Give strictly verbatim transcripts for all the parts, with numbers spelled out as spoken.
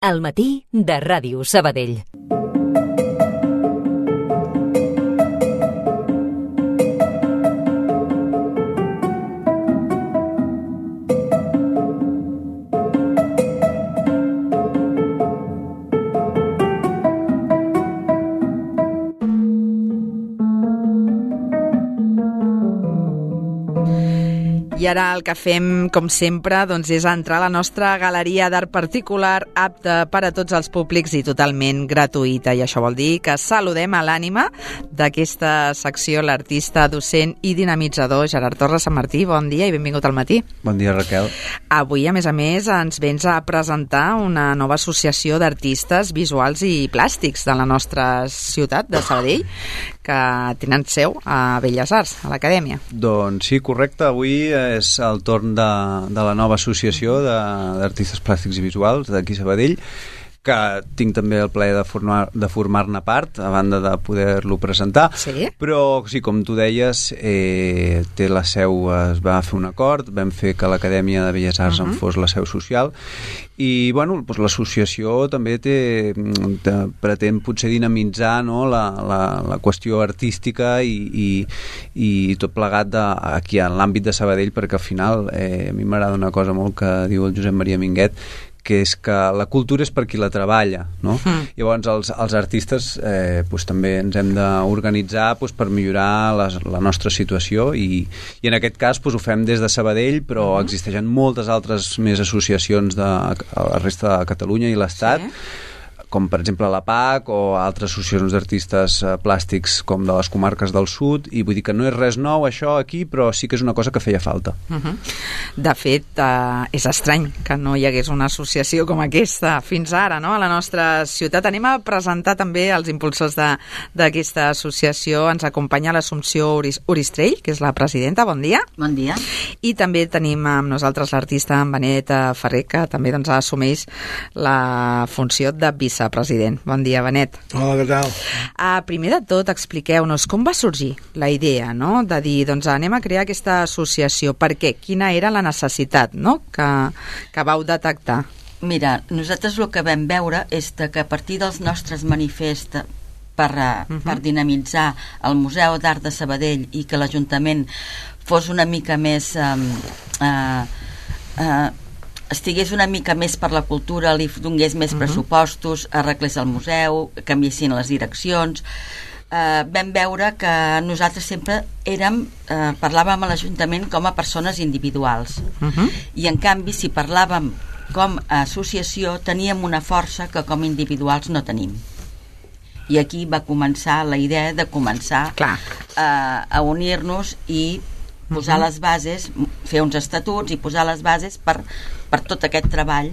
Al matí de Ràdio Sabadell. I ara el que fem, com sempre, doncs és entrar a la nostra galeria d'art particular, apta per a tots els públics i totalment gratuïta. I això vol dir que saludem a l'ànima d'aquesta secció, l'artista, docent i dinamitzador Gerard Torres Sant Martí. Bon dia i benvingut al matí. Bon dia, Raquel. Avui, a més a més, ens vens a presentar una nova associació d'artistes visuals i plàstics de la nostra ciutat, de Sabadell, que tenen seu a Belles Arts, a l'Acadèmia. Doncs sí, correcte. Avui és el torn de, de la nova associació d'artistes plàstics i visuals d'aquí a Sabadell, que tinc també el plaer de formar, de formar-ne part, a banda de poder-lo presentar. Sí? Però, sí, com tu deies, eh, té la seu, es va fer un acord, vam fer que l'Acadèmia de Belles Arts uh-huh. en fos la seu social, i bueno, doncs l'associació també té, té, pretén potser dinamitzar, no, la, la, la qüestió artística i, i, i tot plegat de, aquí en l'àmbit de Sabadell, perquè al final eh, a mi m'agrada una cosa molt que diu el Josep Maria Minguet, que és que la cultura és per qui la treballa, no? Mm. Llavors els, els artistes eh, pues, també ens hem d'organitzar pues, per millorar les, la nostra situació i, i en aquest cas pues, ho fem des de Sabadell, però mm. existeixen moltes altres més associacions de a la resta de Catalunya i l'Estat, sí, com per exemple la P A C o altres associacions d'artistes eh, plàstics com de les comarques del sud, i vull dir que no és res nou això aquí, però sí que és una cosa que feia falta. Uh-huh. De fet, eh, és estrany que no hi hagués una associació com aquesta fins ara, no?, a la nostra ciutat. Anem a presentar també els impulsors d'aquesta associació. Ens acompanya l'Assumpció Oristrell, que és la presidenta. Bon dia. Bon dia. I també tenim amb nosaltres l'artista Benet Ferrer, que també doncs, assumeix la funció de vicepresident. Bon dia, Benet. Hola, què tal? Uh, primer de tot, expliqueu-nos com va sorgir la idea, no?, de dir, doncs anem a crear aquesta associació. Per què? Quina era la necessitat, no?, que, que vau detectar? Mira, nosaltres el que vam veure és que a partir dels nostres manifests per, uh-huh. per dinamitzar el Museu d'Art de Sabadell i que l'Ajuntament fos una mica més... Eh, eh, eh, estigués una mica més per la cultura, li donés més uh-huh. pressupostos, arreglés el museu, canviessin les direccions. Eh, vam veure que nosaltres sempre érem, eh, parlàvem a l'Ajuntament com a persones individuals. Uh-huh. I en canvi, si parlàvem com a associació, teníem una força que com a individuals no tenim. I aquí va començar la idea de començar Clar. Eh, a unir-nos i posar uh-huh. les bases, fer uns estatuts i posar les bases per, per tot aquest treball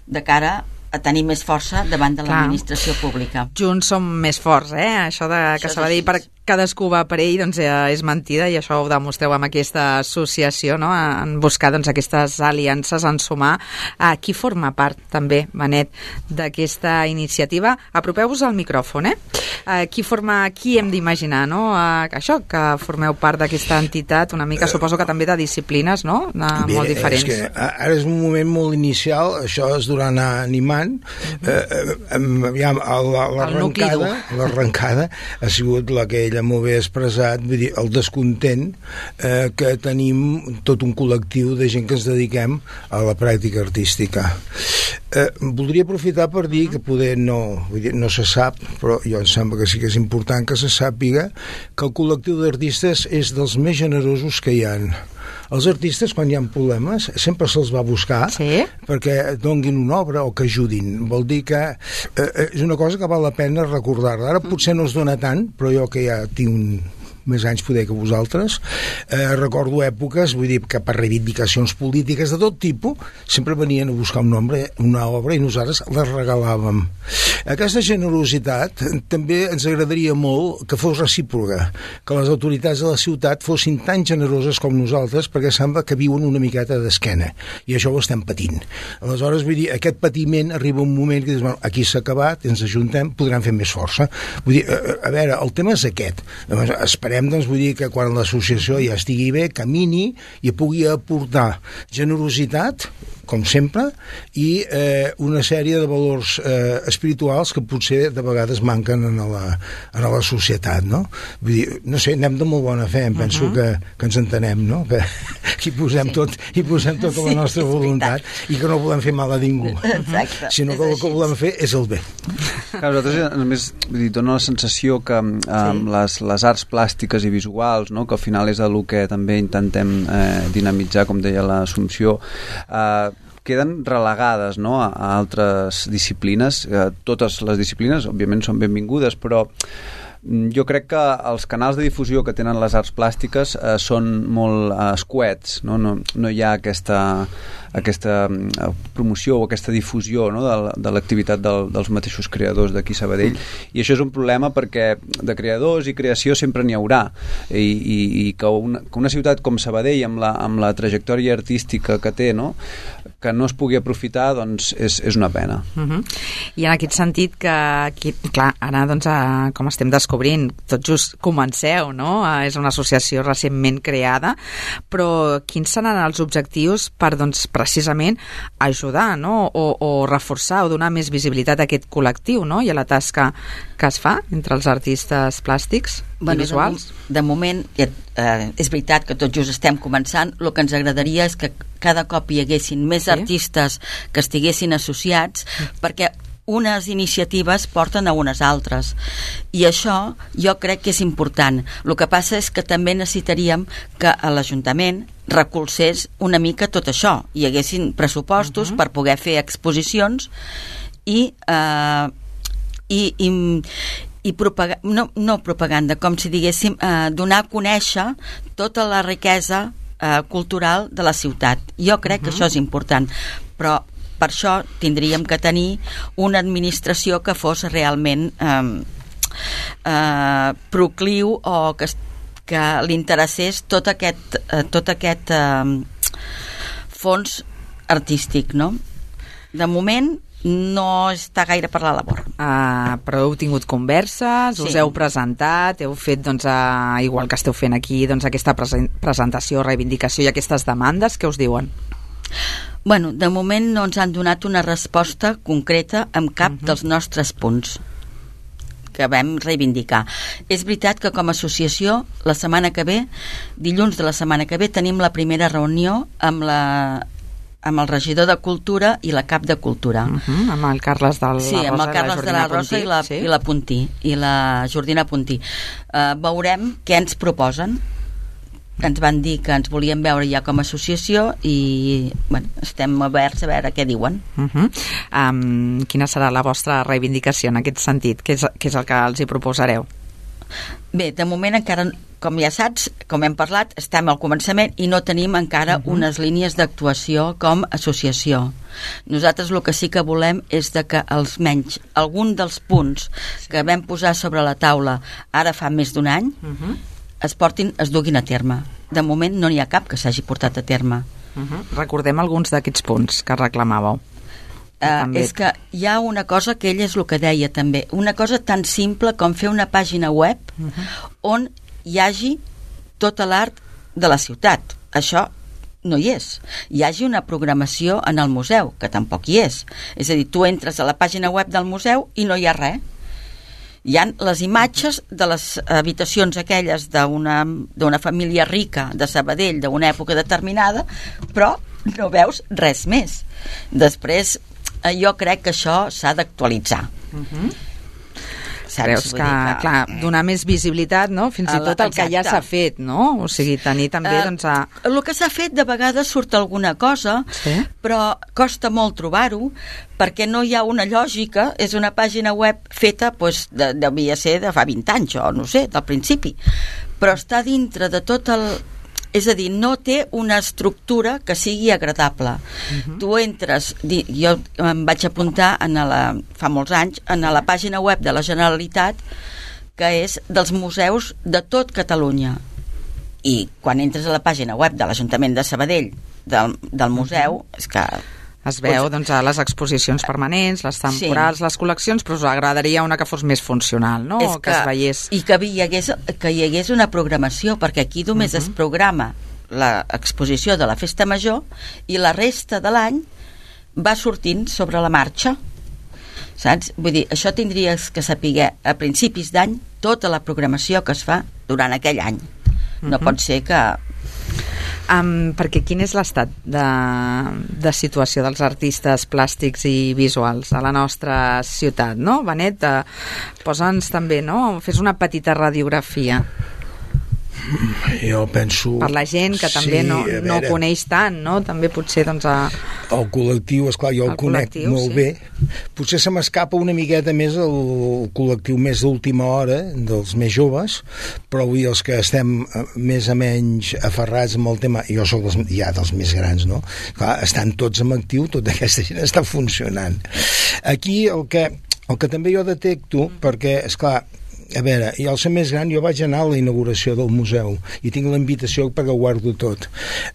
de cara a tenir més força davant de l'administració pública. Junts som més forts, eh? Això de que Això s'ha de dir per cadascú va per ell, doncs eh, és mentida, i això ho demostreu amb aquesta associació, no?, en buscar doncs, aquestes aliances, en sumar. A qui forma part també, Benet, d'aquesta iniciativa? Apropeu-vos al micròfon, eh? A qui forma, qui hem d'imaginar, no?, a, això, que formeu part d'aquesta entitat, una mica, suposo que també de disciplines, no?, de, Bé, molt diferents. És que ara és un moment molt inicial, això és durant animant, uh-huh. eh, eh, aviam, l'arrencada l'arrencada ha sigut la que ella molt bé expressat, vull dir, el descontent eh, que tenim tot un col·lectiu de gent que ens dediquem a la pràctica artística. Eh, voldria aprofitar per dir que poder no, vull dir, no se sap, però jo em sembla que sí que és important que se sàpiga que el col·lectiu d'artistes és dels més generosos que hi ha. Els artistes, quan hi ha problemes, sempre se'ls va buscar sí? perquè donguin una obra o que ajudin. Vol dir que eh, és una cosa que val la pena recordar-la. Ara potser no es dona tant, però jo que ja tinc un més anys poder que vosaltres, eh, recordo èpoques, vull dir, que per reivindicacions polítiques de tot tipus, sempre venien a buscar un nombre, una obra i nosaltres les regalàvem. Aquesta generositat també ens agradaria molt que fos recíproca, que les autoritats de la ciutat fossin tan generoses com nosaltres, perquè sembla que viuen una miqueta d'esquena, i això ho estem patint. Aleshores, vull dir, aquest patiment arriba un moment que dius, bueno, aquí s'ha acabat, ens ajuntem, podran fer més força. Vull dir, a, a veure, el tema és aquest. Esperem esperem, doncs, vull dir que quan l'associació ja estigui bé, camini i pugui aportar generositat, com sempre, i eh, una sèrie de valors eh, espirituals que potser de vegades manquen en la, en la societat, no? Vull dir, no sé, anem de molt bona fe, em penso uh-huh. que, que ens entenem, no? Que, que hi posem sí. tot, hi posem tota sí, la nostra voluntat i que no volem fer mal a ningú. Exacte. Sinó que el que volem fer és el bé. Clar, nosaltres, a més, vull dir, dona la sensació que amb sí. les, les arts plàstiques i visuals, no? Que al final és el que també intentem eh, dinamitzar, com deia l'Assumpció, eh, queden relegades, no? a, a altres disciplines. Eh, totes les disciplines, òbviament, són benvingudes, però jo crec que els canals de difusió que tenen les arts plàstiques eh, són molt eh, escuets, no? No, no hi ha aquesta, aquesta promoció o aquesta difusió, no? de, de l'activitat del, dels mateixos creadors d'aquí Sabadell, i això és un problema perquè de creadors i creació sempre n'hi haurà, i, i, i que, una, que una ciutat com Sabadell amb la, amb la trajectòria artística que té, no? que no es pugui aprofitar, doncs és, és una pena. Uh-huh. I en aquest sentit que, aquí, clar, ara doncs, a, com estem descobrint, tot just comenceu, no? És una associació recentment creada, però quins seran els objectius per, doncs, precisament ajudar, no? O, o reforçar o donar més visibilitat a aquest col·lectiu, no? I a la tasca que es fa entre els artistes plàstics bueno, i visuals? De, de moment, eh, és veritat que tot just estem començant, el que ens agradaria és que cada cop hi haguessin més sí. artistes que estiguessin associats, perquè unes iniciatives porten a unes altres, i això jo crec que és important. El que passa és que també necessitaríem que a l'Ajuntament recolzés una mica tot això, hi haguessin pressupostos uh-huh. per poder fer exposicions i eh, i, i i propaga no, no propaganda, com si diguéssim eh, donar a conèixer tota la riquesa eh, cultural de la ciutat. Jo crec uh-huh. que això és important, però per això tindríem que tenir una administració que fos realment eh, eh, procliu o que, que li interessés tot aquest, eh, tot aquest eh, fons artístic, no? De moment no està gaire per la labor. Uh, però heu tingut converses, sí. us heu presentat, heu fet, doncs, uh, igual que esteu fent aquí, doncs, aquesta presen presentació, reivindicació i aquestes demandes, què us diuen? Bueno, de moment no ens han donat una resposta concreta amb cap uh-huh. dels nostres punts que vam reivindicar. És veritat que com a associació, la setmana que ve, dilluns de la setmana que ve, tenim la primera reunió amb la amb el regidor de Cultura i la cap de Cultura. Uh-huh, amb el Carles de la Rosa, sí, amb el Carles la de la Rosa i la, sí? i la Puntí, i la Jordina Puntí. Uh, veurem què ens proposen. Ens van dir que ens volien veure ja com a associació i bueno, estem oberts a veure què diuen. Uh-huh. um, quina serà la vostra reivindicació en aquest sentit? Què és, què és el que els hi proposareu? Bé, de moment encara, com ja saps, com hem parlat, estem al començament i no tenim encara uh-huh. unes línies d'actuació com a associació. Nosaltres el que sí que volem és de que almenys algun dels punts que vam posar sobre la taula ara fa més d'un any uh-huh. es portin, es duguin a terme. De moment no n'hi ha cap que s'hagi portat a terme. Uh-huh. Recordem alguns d'aquests punts que reclamàveu. Uh, és que hi ha una cosa que ell és el que deia també, una cosa tan simple com fer una pàgina web uh-huh. on hi hagi tota l'art de la ciutat. Això no hi és. Hi hagi una programació en el museu, que tampoc hi és. És a dir, tu entres a la pàgina web del museu i no hi ha res. Hi ha les imatges de les habitacions aquelles d'una d'una família rica de Sabadell d'una època determinada, però no veus res més. Després jo crec que això s'ha d'actualitzar. Uh-huh. Creus que, que, clar, donar més visibilitat, no? Fins i tot el que ja s'ha fet, no? O sigui, tenir també, uh, doncs... A... El que s'ha fet, de vegades surt alguna cosa, sí? Però costa molt trobar-ho, perquè no hi ha una lògica, és una pàgina web feta, doncs, de, devia ser de fa vint anys, o no sé, del principi, però està dintre de tot el... És a dir, no té una estructura que sigui agradable. Uh-huh. Tu entres, jo em vaig apuntar en la, fa molts anys en la pàgina web de la Generalitat, que és dels museus de tot Catalunya. I quan entres a la pàgina web de l'Ajuntament de Sabadell, del, del museu, és que Es veu doncs, a les exposicions permanents, les temporals, sí. les col·leccions, però us agradaria una que fos més funcional, no? És que, que es veiés... I que hi, hagués, que hi hagués una programació, perquè aquí només uh -huh. es programa l'exposició de la Festa Major i la resta de l'any va sortint sobre la marxa. Saps? Vull dir, això tindries que saber a principis d'any tota la programació que es fa durant aquell any. No uh -huh. pot ser que... Um, perquè quin és l'estat de, de situació dels artistes plàstics i visuals a la nostra ciutat, no? Benet, uh, posa'ns també, no? Fes una petita radiografia. Jo penso... Per la gent que també sí, no, no ho coneix tant, no? També potser, doncs... A... El col·lectiu, esclar, jo el, el conec molt sí. bé. Potser se m'escapa una miqueta més el col·lectiu més d'última hora, dels més joves, però avui els que estem més o menys aferrats amb el tema, jo soc dels, ja dels més grans, no? Clar, estan tots en actiu, tota aquesta gent està funcionant. Aquí el que, el que també jo detecto, perquè, esclar, a veure, jo al ser més gran jo vaig anar a la inauguració del museu i tinc la invitació perquè ho guardo tot.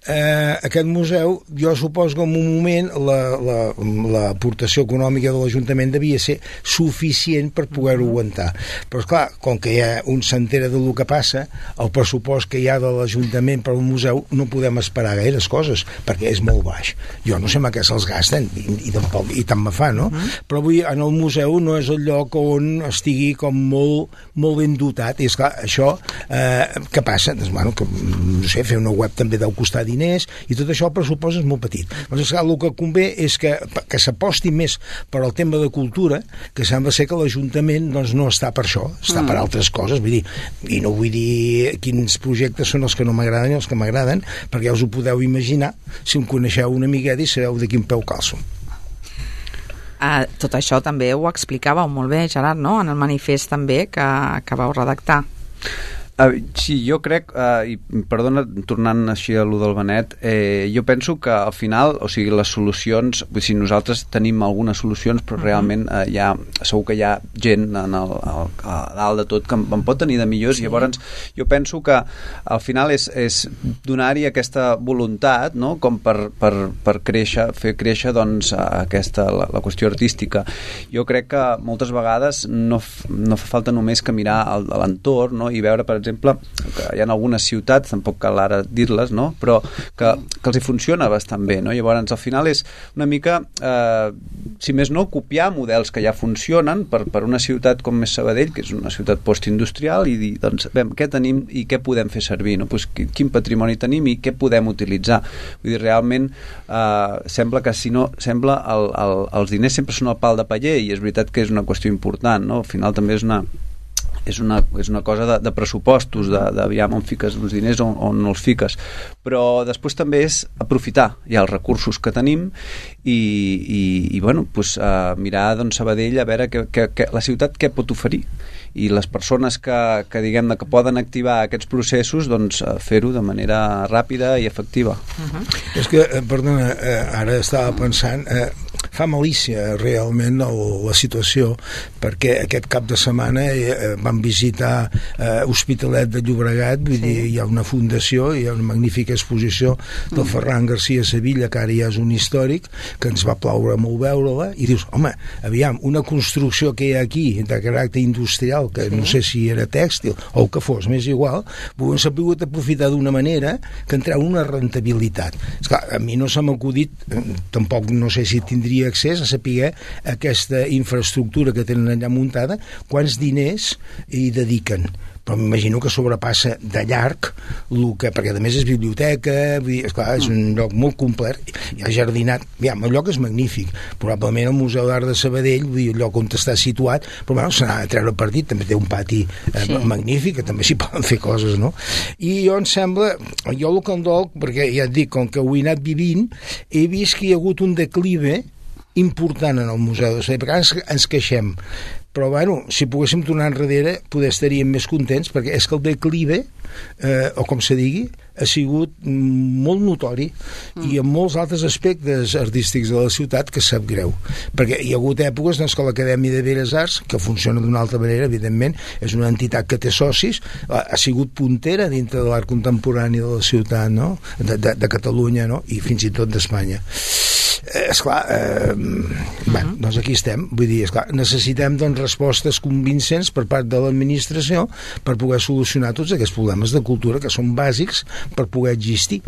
Eh, aquest museu, jo suposo que en un moment l'aportació la, la, econòmica de l'Ajuntament devia ser suficient per poder-ho aguantar. Però esclar, com que ja un s'entera del que passa, el pressupost que hi ha de l'Ajuntament per al museu no podem esperar gaires coses, perquè és molt baix. Jo no sé amb què se'ls gasten i, i, tampoc, i tant me fa, no? Uh-huh. Però avui en el museu no és el lloc on estigui com molt molt ben dotat, i esclar, això eh, què passa? Doncs, bueno, que, no sé, fer una web també deu costar diners i tot això el pressupost és molt petit. Doncs, esclar, el que convé és que, que s'aposti més per al tema de cultura, que sembla ser que l'Ajuntament doncs, no està per això, està mm. per altres coses, vull dir, i no vull dir quins projectes són els que no m'agraden i els que m'agraden, perquè ja us ho podeu imaginar si em coneixeu una miqueta i sabeu de quin peu calço. Uh, tot això també ho explicàveu molt bé, Gerard, no? En el manifest també que, que vau redactar. Uh, sí, jo crec, uh, i perdona, tornant així a lo del Benet, eh, jo penso que al final, o sigui, les solucions, vull dir, nosaltres tenim algunes solucions, però uh -huh. realment eh, hi ha, segur que hi ha gent en el, el, a dalt de tot que en, en pot tenir de millors, sí. Llavors jo penso que al final és, és donar-hi aquesta voluntat, no?, com per, per, per créixer, fer créixer doncs aquesta, la, la qüestió artística. Jo crec que moltes vegades no, no fa falta només que mirar a l'entorn, no?, i veure, per exemple, exemple, que hi ha algunes ciutats, tampoc cal ara dir-les, no?, però que, que els hi funciona bastant bé, no? Llavors, al final és una mica, eh, si més no, copiar models que ja funcionen per, per una ciutat com és Sabadell, que és una ciutat postindustrial, i dir, doncs, bé, què tenim i què podem fer servir, no? Pues, quin patrimoni tenim i què podem utilitzar. Vull dir, realment, eh, sembla que si no, sembla el, el, els diners sempre són el pal de paller, i és veritat que és una qüestió important, no? Al final també és una és una, és una cosa de, de pressupostos, d'aviam on fiques els diners o on, on no els fiques, però després també és aprofitar ja els recursos que tenim i, i, i bueno, pues, uh, mirar doncs, Sabadell a veure que, que, que la ciutat què pot oferir, i les persones que, que diguem-ne que poden activar aquests processos, doncs fer-ho de manera ràpida i efectiva. Uh-huh. És que, perdona, ara estava pensant, eh, fa malícia realment el, la situació, perquè aquest cap de setmana eh, vam visitar eh, Hospitalet de Llobregat, vull sí. dir, hi ha una fundació, hi ha una magnífica exposició del mm. Ferran García Sevilla, que ara ja és un històric, que ens va plaure molt veure-la, i dius, home, aviam, una construcció que hi ha aquí de caràcter industrial, que sí. no sé si era tèxtil o el que fos, m'és igual, però s'ha pogut aprofitar d'una manera que en treu una rentabilitat. Esclar, a mi no se m'ha acudit, tampoc no sé si tindria accés a saber aquesta infraestructura que tenen allà muntada, quants diners hi dediquen, però m'imagino que sobrepassa de llarg el que, perquè a més és biblioteca, vull dir, esclar, és un lloc molt complet, hi ha jardinat, aviam, el lloc és magnífic, probablement el Museu d'Art de Sabadell, vull dir, el lloc on està situat, però bueno, se n'ha de treure partit, també té un pati eh, sí. magnífic, que també s'hi poden fer coses, no? I jo em sembla, jo el que em dol, perquè ja et dic, com que ho he anat vivint, he vist que hi ha hagut un declive important en el Museu de Sabadell, perquè ens, ens queixem, però bueno, si poguéssim tornar enrere poder estaríem més contents, perquè és que el declive, eh, o com se digui, ha sigut molt notori mm. i en molts altres aspectes artístics de la ciutat que sap greu, perquè hi ha hagut èpoques doncs, que l'Acadèmia de Belles Arts, que funciona d'una altra manera, evidentment, és una entitat que té socis, ha sigut puntera dintre de l'art contemporani de la ciutat, no? de, de, de Catalunya, no? I fins i tot d'Espanya. Eh, esclar, eh, uh-huh. bé, doncs aquí estem, vull dir, esclar, necessitem doncs, respostes convincents per part de l'administració per poder solucionar tots aquests problemes de cultura que són bàsics per poder existir,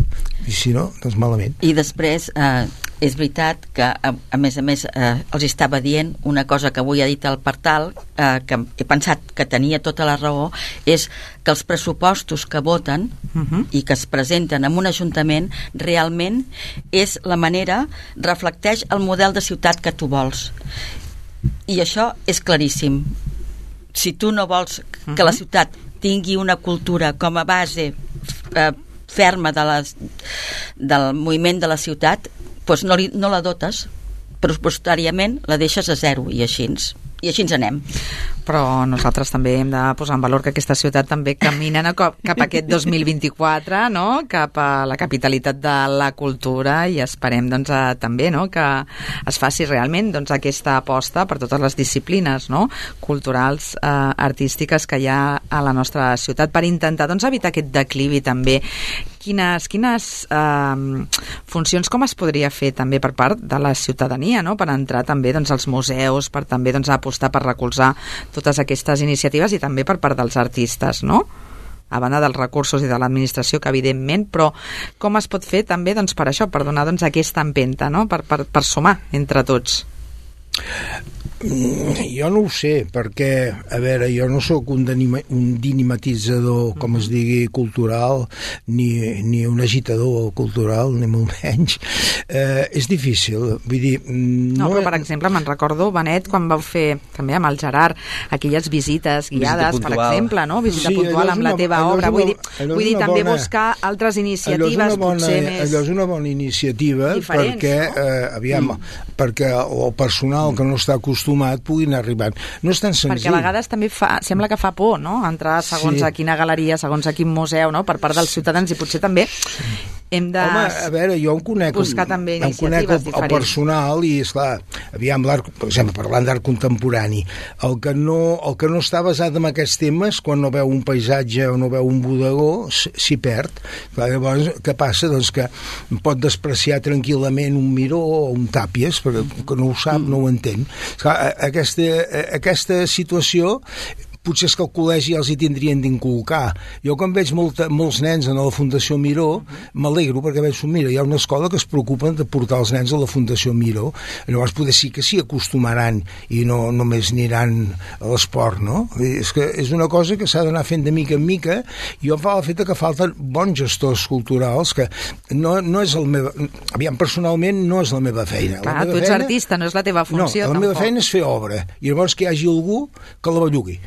i si no, doncs malament. I després, eh, és veritat que, a, a més a més, eh, els estava dient una cosa que avui ha dit el Partal, eh, que he pensat que tenia tota la raó, és que els pressupostos que voten uh-huh. i que es presenten en un ajuntament realment és la manera, reflecteix el model de ciutat que tu vols. I això és claríssim. Si tu no vols que uh-huh. la ciutat tingui una cultura com a base eh, ferma de les, del moviment de la ciutat, doncs no, li, no la dotes, pressupostàriament la deixes a zero, i així, i així ens anem. Però nosaltres també hem de posar en valor que aquesta ciutat també camina no, cap, cap a aquest dos mil vint-i-quatre, no? Cap a la capitalitat de la cultura, i esperem doncs, a, també no? que es faci realment doncs, aquesta aposta per totes les disciplines no? culturals, eh, artístiques que hi ha a la nostra ciutat per intentar doncs, evitar aquest declivi també. Quines, quines eh, funcions com es podria fer també per part de la ciutadania no? per entrar també doncs, als museus, per també doncs, apostar per recolzar totes aquestes iniciatives, i també per part dels artistes, no? A banda dels recursos i de l'administració, que evidentment, però com es pot fer també doncs, per això, per donar doncs, aquesta empenta, no? per, per, per sumar entre tots? Jo no ho sé, perquè, a veure, jo no sóc un, un dinamititzador, com es digui, cultural, ni, ni un agitador cultural, ni molt menys. Eh, és difícil, vull dir... No, no però, per exemple, me'n recordo, Benet, quan vau fer, també amb el Gerard, aquelles visites guiades, per exemple, no? Visita sí, puntual amb una, la teva obra. Vull dir, vull dir també bona, buscar altres iniciatives, bona, potser més... Allò és una bona iniciativa, diferents, perquè, no? eh, aviam, mm. perquè el personal que no està acostumat puguin arribar. No és tan senzill. Perquè a vegades també fa, sembla que fa por, no? Entrar segons sí. a quina galeria, segons a quin museu, no? Per part dels ciutadans, i potser també hem de Home, a veure, jo em conec, buscar també em conec el, el personal, i esclar, aviam, l'art, per exemple, parlant d'art contemporani, el que, no, el que no està basat en aquests temes, quan no veu un paisatge o no veu un bodegó, s'hi perd. Clar, llavors, què passa? Doncs que pot despreciar tranquil·lament un Miró o un Tàpies, perquè que no ho sap, no ho entén. Esclar, aquesta, aquesta situació potser és que al col·legi els hi tindrien d'inculcar. Jo quan veig molta, molts nens a la Fundació Miró, m'alegro perquè veig, mira, hi ha una escola que es preocupen de portar els nens a la Fundació Miró. Llavors potser sí que s'hi acostumaran i no només aniran a l'esport, no? És que és una cosa que s'ha d'anar fent de mica en mica, i jo em fa el fet que falten bons gestors culturals, que no, no és el meu... Aviam, personalment no és la meva feina. Clar, la meva tu ets feina... artista, no és la teva funció. No, la tampoc. meva feina és fer obra, i llavors que hi hagi algú que la bellugui.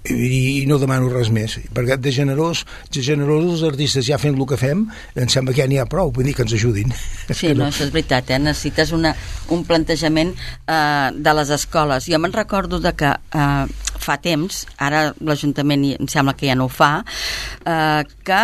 I no demano res més, perquè de generós, de generós els artistes ja fent el que fem, em sembla que ja n'hi ha prou, vull dir que ens ajudin. Sí, no, això és veritat, eh? Necessites una, un plantejament eh, de les escoles. Jo me'n recordo de que eh, fa temps, ara l'Ajuntament em sembla que ja no ho fa, eh, que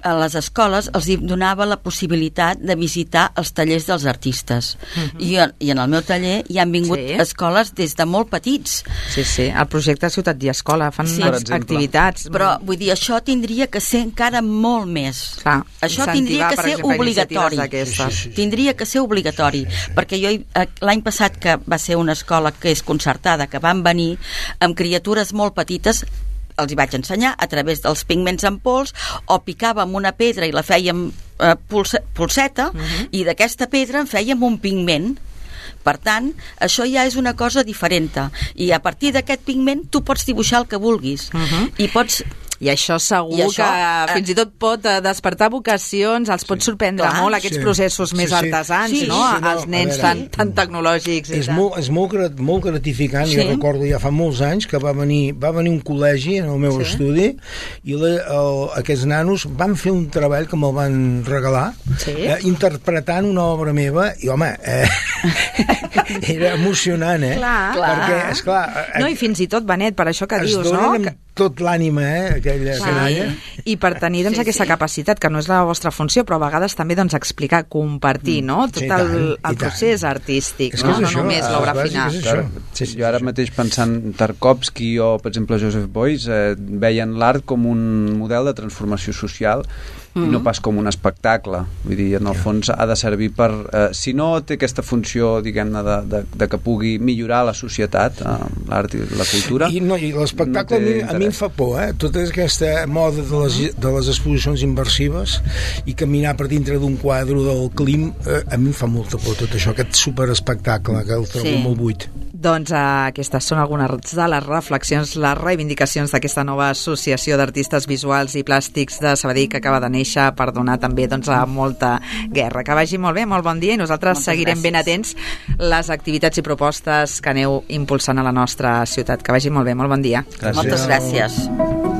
a les escoles els donava la possibilitat de visitar els tallers dels artistes. Uh-huh. I, I en el meu taller hi han vingut sí. escoles des de molt petits. Sí, sí, el projecte Ciutat i Escola fan sí. unes activitats. Però, vull dir, això tindria que ser encara molt més. Clar, això tindria que ser exemple, obligatori. Sí, sí, sí. Tindria que ser obligatori. Sí, sí. Perquè jo, l'any passat, que va ser una escola que és concertada, que van venir amb criatures molt petites, els hi vaig ensenyar a través dels pigments en pols, o picàvem una pedra i la fèiem eh, pulse, pulseta, uh-huh. i d'aquesta pedra en fèiem un pigment. Per tant, això ja és una cosa diferent, i a partir d'aquest pigment tu pots dibuixar el que vulguis, uh-huh. i pots... I això segur I això, que fins i tot pot despertar vocacions, els pot sorprendre clar, molt aquests sí. processos més sí, sí. artesans, sí, no? Sí, no? Els nens veure, tan, tan tecnològics. És, molt, és molt, molt gratificant, sí. jo recordo ja fa molts anys que va venir, va venir un col·legi en el meu sí. estudi, i la, el, aquests nanos van fer un treball que me'l van regalar, sí. eh, interpretant una obra meva, i home, eh, era emocionant, eh? Clar. Perquè, esclar... No, i fins i tot, Benet, per això que es dius, no? donen amb tot l'ànima, eh? Aquella, aquella. I per tenir doncs, Sí, aquesta sí. capacitat, que no és la vostra funció, però a vegades també doncs, explicar, compartir, no? Tot Sí, i el, tant, i el tant. procés artístic, És que no, és no això, només és l'obra bàsic, final. és això. Clar, Sí, sí, jo ara sí. mateix pensant Tarkovsky o, per exemple, Joseph Beuys eh, veien l'art com un model de transformació social i no pas com un espectacle. Vull dir, en el fons ha de servir per... Eh, si no té aquesta funció, diguem-ne, de, de, de que pugui millorar la societat, eh, l'art i la cultura... I, no, i l'espectacle no no té a, mi, a mi em interès. fa por, eh? Tota aquesta moda de les, de les exposicions immersives i caminar per dintre d'un quadre del Klim, eh, a mi em fa molta por tot això, aquest superespectacle que el trobo Sí. molt buit. Doncs eh, aquestes són algunes de les reflexions, les reivindicacions d'aquesta nova associació d'artistes visuals i plàstics de Sabadell que acaba de néixer per donar també doncs, a molta guerra. Que vagi molt bé, molt bon dia, i nosaltres Moltes seguirem gràcies. ben atents les activitats i propostes que aneu impulsant a la nostra ciutat. Que vagi molt bé, molt bon dia. Gràcies. Moltes gràcies.